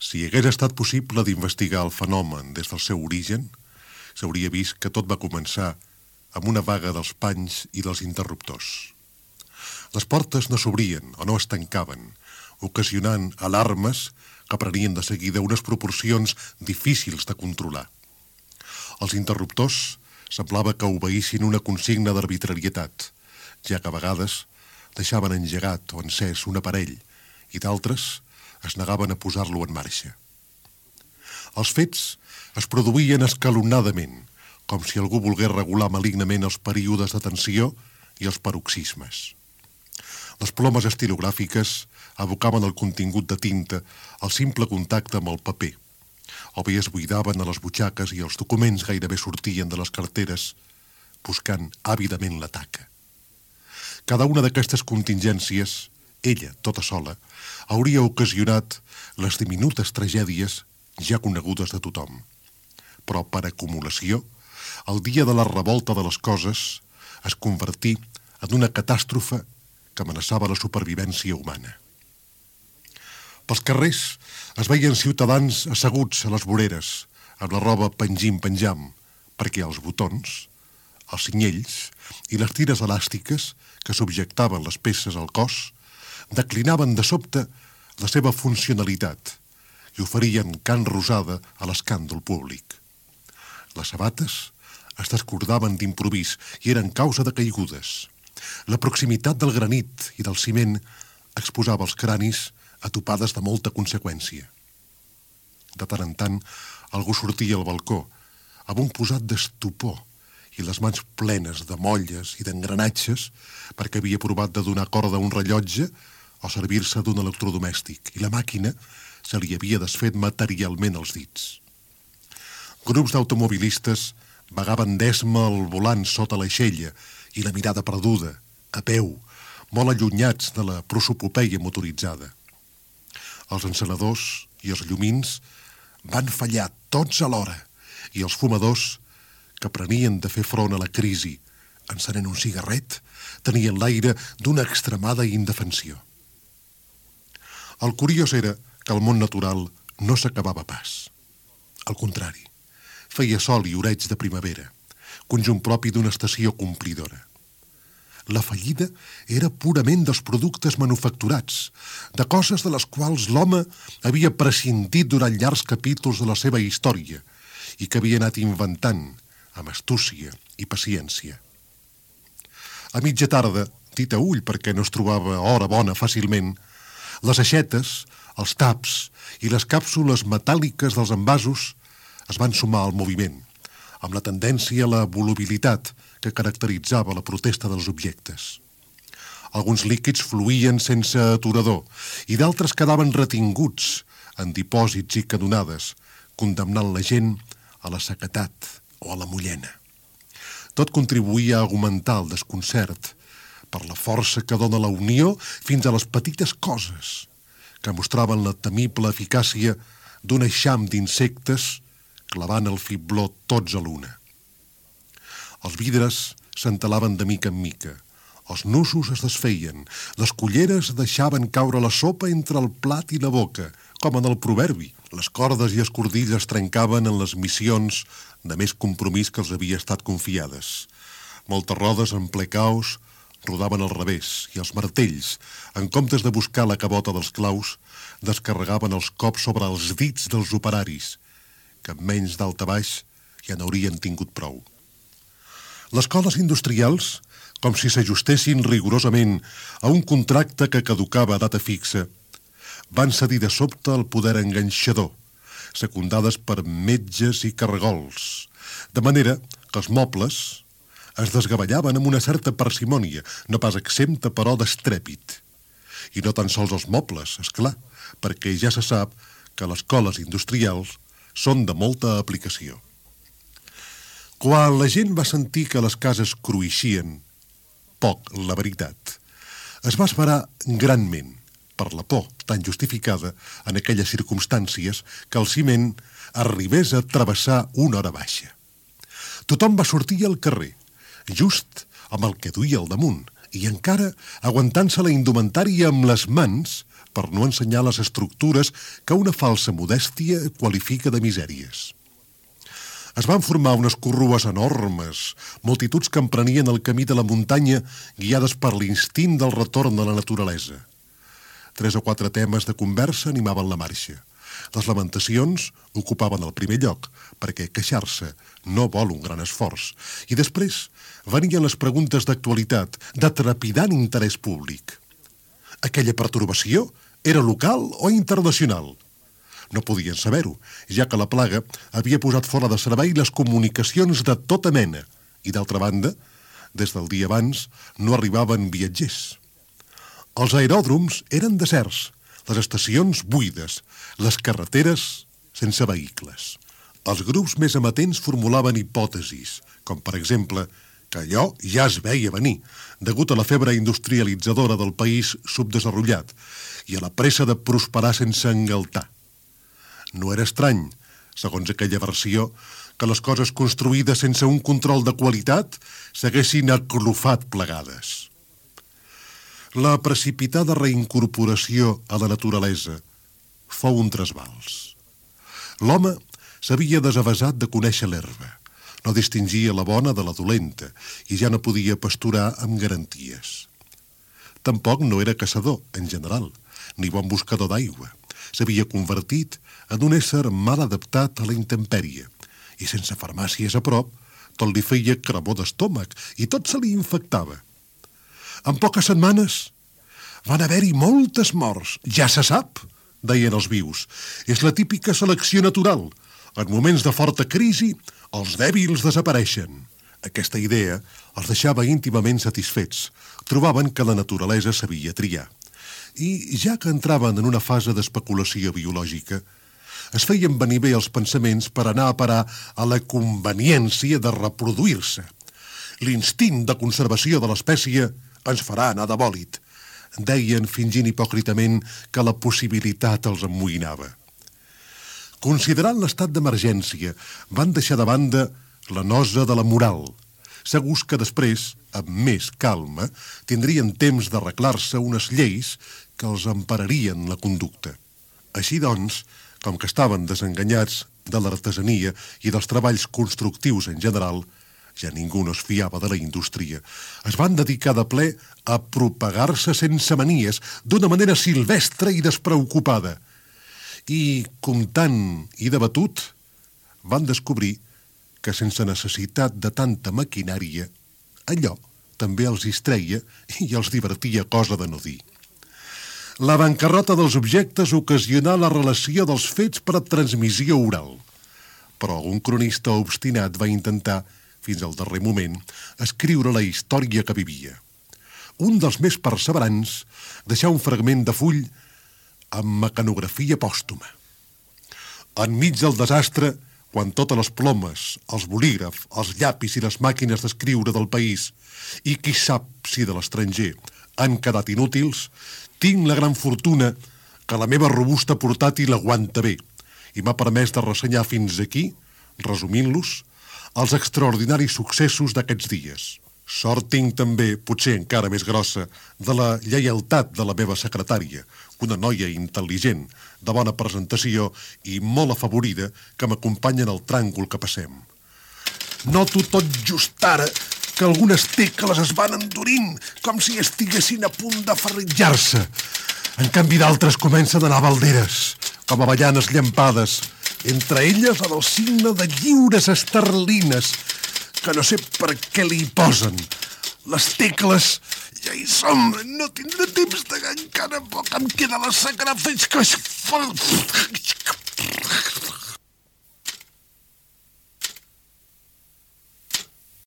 Si hagués estat possible d'investigar el fenomen des del seu origen, s'hauria vist que tot va començar amb una vaga dels panys i dels interruptors. Les portes no s'obrien o no es tancaven, ocasionant alarmes que prenien de seguida unes proporcions difícils de controlar. Els interruptors semblava que obeïssin una consigna d'arbitrarietat, ja que a vegades deixaven engegat o encès un aparell i d'altres es negaven a posar-lo en marxa. Els fets es produïen escalonadament, com si algú volgués regular malignament els períodes de tensió i els paroxismes. Les plomes estilogràfiques abocaven el contingut de tinta al simple contacte amb el paper, o bé es buidaven a les butxaques i els documents gairebé sortien de les carteres, buscant àvidament la taca. Cada una d'aquestes contingències, ella, tota sola, hauria ocasionat les diminutes tragèdies ja conegudes de tothom. Però, per acumulació, el dia de la revolta de les coses es convertí en una catàstrofe que amenaçava la supervivència humana. Pels carrers es veien ciutadans asseguts a les voreres, amb la roba pengim-penjam, perquè els botons, els cinyells i les tires elàstiques que subjectaven les peces al cos declinaven de sobte la seva funcionalitat i oferien carn rosada a l'escàndol públic. Les sabates es descordaven d'improvís i eren causa de caigudes. La proximitat del granit i del ciment exposava els cranis a topades de molta conseqüència. De tant en tant, algú sortia al balcó amb un posat d'estupor i les mans plenes de molles i d'engranatges perquè havia provat de donar corda a un rellotge o servir-se d'un electrodomèstic i la màquina se li havia desfet materialment els dits. Grups d'automobilistes vagaven d'esma al volant sota l'aixella i la mirada perduda, a peu, molt allunyats de la prosopopeia motoritzada. Els encenedors i els llumins van fallar tots alhora i els fumadors, que prenien de fer front a la crisi encenent un cigarret, tenien l'aire d'una extremada indefensió. El curiós era que el món natural no s'acabava pas. Al contrari, feia sol i oreig de primavera, conjunt propi d'una estació complidora. La fallida era purament dels productes manufacturats, de coses de les quals l'home havia prescindit durant llargs capítols de la seva història i que havia anat inventant amb astúcia i paciència. A mitja tarda, dit a ull perquè no es trobava hora bona fàcilment, les aixetes, els taps i les càpsules metàl·liques dels envasos es van sumar al moviment, amb la tendència a la volubilitat que caracteritzava la protesta dels objectes. Alguns líquids fluïen sense aturador i d'altres quedaven retinguts en dipòsits i canonades, condemnant la gent a la sequetat o a la mullena. Tot contribuïa a augmentar el desconcert per la força que dona la unió fins a les petites coses que mostraven la temible eficàcia d'un eixam d'insectes clavant el fibló tots a l'una. Els vidres s'entelaven de mica en mica, els nusos es desfeien, les culleres deixaven caure la sopa entre el plat i la boca, com en el proverbi. Les cordes i escordills es trencaven en les missions de més compromís que els havia estat confiades. Moltes rodes en ple caos rodaven al revés i els martells, en comptes de buscar la cabota dels claus, descarregaven els cops sobre els dits dels operaris, que amb menys d'alta baix ja n'haurien tingut prou. Les coles industrials, com si s'ajustessin rigorosament a un contracte que caducava a data fixa, van cedir de sobte al poder enganxador, secundades per metges i carregols, de manera que els mobles es desgavellaven amb una certa parsimònia, no pas exempta però d'estrèpit. I no tan sols els mobles, és clar, perquè ja se sap que les coles industrials són de molta aplicació. Quan la gent va sentir que les cases cruixien, poc, la veritat, es va esperar granment, per la por tan justificada en aquelles circumstàncies, que el ciment arribés a travessar una hora baixa. Tothom va sortir al carrer, just amb el que duia al damunt, i encara aguantant-se la indumentària amb les mans per no ensenyar les estructures que una falsa modèstia qualifica de misèries. Es van formar unes corrues enormes, multituds que emprenien el camí de la muntanya guiades per l'instint del retorn a la naturalesa. 3 o 4 temes de conversa animaven la marxa. Les lamentacions ocupaven el primer lloc, perquè queixar-se no vol un gran esforç. I després venien les preguntes d'actualitat, de trepidant interès públic. Aquella pertorbació era local o internacional? No podien saber-ho, ja que la plaga havia posat fora de servei les comunicacions de tota mena i, d'altra banda, des del dia abans no arribaven viatgers. Els aeròdroms eren deserts, les estacions buides, les carreteres sense vehicles. Els grups més amatents formulaven hipòtesis, com per exemple que allò ja es veia venir, degut a la febre industrialitzadora del país subdesenvolupat i a la pressa de prosperar sense engaltar. No era estrany, segons aquella versió, que les coses construïdes sense un control de qualitat s'haguessin aclofat plegades. La precipitada reincorporació a la naturalesa fou un trasbals. L'home s'havia desavesat de conèixer l'herba, no distingia la bona de la dolenta i ja no podia pasturar amb garanties. Tampoc no era caçador, en general, ni bon buscador d'aigua. S'havia convertit en un ésser mal adaptat a la intempèrie i sense farmàcies a prop tot li feia cremor d'estómac i tot se li infectava. En poques setmanes van haver-hi moltes morts. Ja se sap, deien els vius. És la típica selecció natural. En moments de forta crisi, els dèbils desapareixen. Aquesta idea els deixava íntimament satisfets. Trobaven que la naturalesa sabia triar. I, ja que entraven en una fase d'especulació biològica, es feien venir bé els pensaments per anar a parar a la conveniència de reproduir-se. L'instint de conservació de l'espècie ens farà anar de bòlit, deien fingint hipòcritament que la possibilitat els emmoïnava. Considerant l'estat d'emergència, van deixar de banda la nosa de la moral, segurs que després, amb més calma, tindrien temps d'arreglar-se unes lleis que els empararien la conducta. Així doncs, com que estaven desenganyats de l'artesania i dels treballs constructius en general, ja ningú no es fiava de la indústria, es van dedicar de ple a propagar-se sense manies, d'una manera silvestre i despreocupada. I, comptant i debatut, van descobrir que sense necessitat de tanta maquinària, allò també els distreia i els divertia cosa de no dir. La bancarrota dels objectes ocasionà la relació dels fets per a transmissió oral, però un cronista obstinat va intentar, fins al darrer moment, escriure la història que vivia. Un dels més perseverants deixà un fragment de full amb mecanografia pòstuma. Enmig del desastre, quan totes les plomes, els bolígrafs, els llapis i les màquines d'escriure del país, i qui sap si de l'estranger, han quedat inútils, tinc la gran fortuna que la meva robusta portàtil aguanta bé i m'ha permès de ressenyar fins aquí, resumint-los, els extraordinaris successos d'aquests dies. Sort tinc també, potser encara més grossa, de la lleialtat de la meva secretària, una noia intel·ligent, de bona presentació i molt afavorida que m'acompanya en el tràngol que passem. Noto tot just ara que algunes tecles es van endurint, com si estiguessin a punt de ferritjar-se. En canvi d'altres comencen a anar balderes, com avellanes llampades, entre elles la del signe de lliures esterlines, que no sé per què li posen. Les tecles ja hi som, no tindré temps de encara poc em queda la sagrada fins que